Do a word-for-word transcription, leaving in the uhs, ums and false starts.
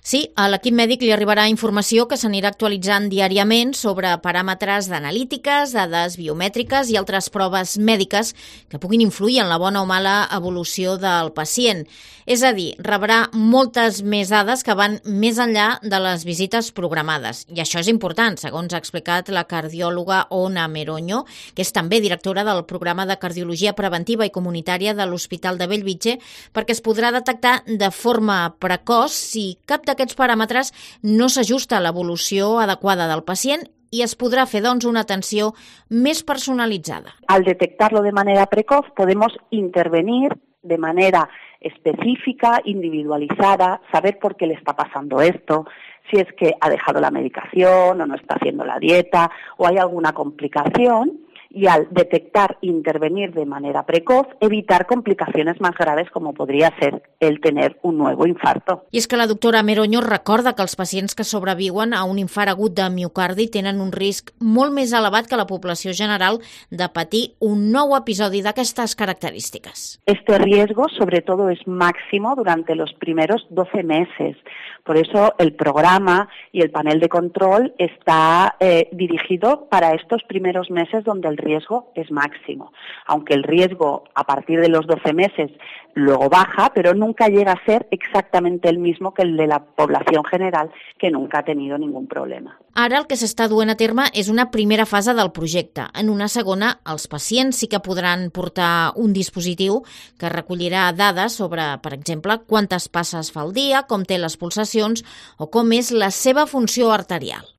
Sí, a l'equip mèdic li arribarà informació que s'anirà actualitzant diàriament sobre paràmetres d'analítiques, dades biomètriques i altres proves mèdiques que puguin influir en la bona o mala evolució del pacient. És a dir, rebrà moltes més dades que van més enllà de les visites programades. I això és important, segons ha explicat la cardiòloga Ona Meroño, que és també directora del programa de cardiologia preventiva i comunitària de l'Hospital de Bellvitge, perquè es podrà detectar de forma precoç si cap d'aquests paràmetres no s'ajusta a l'evolució adequada del pacient i es podrà fer, doncs, una atenció més personalitzada. Al detectarlo de manera precoz podemos intervenir de manera específica, individualizada, saber por qué le está pasando esto, si es que ha dejado la medicación o no está haciendo la dieta o hay alguna complicación. Y al detectar e intervenir de manera precoz, evitar complicaciones más graves como podría ser el tener un nuevo infarto. I és que la doctora Meroño recorda que els pacients que sobreviuen a un infart agut de miocardi tenen un risc molt més elevat que la població general de patir un nou episodi d'aquestes característiques. Este riesgo, sobre todo, es máximo durante los primeros doce meses. Por eso el programa y el panel de control está eh, dirigido para estos primeros meses donde el riesgo es máximo, aunque el riesgo a partir de los doce meses luego baja, pero nunca llega a ser exactamente el mismo que el de la población general, que nunca ha tenido ningún problema. Ara el que s'està duent a terme és una primera fase del projecte. En una segona, els pacients sí que podran portar un dispositiu que recollirà dades sobre, per exemple, quantes passes fa al dia, com té les pulsacions o com és la seva funció arterial.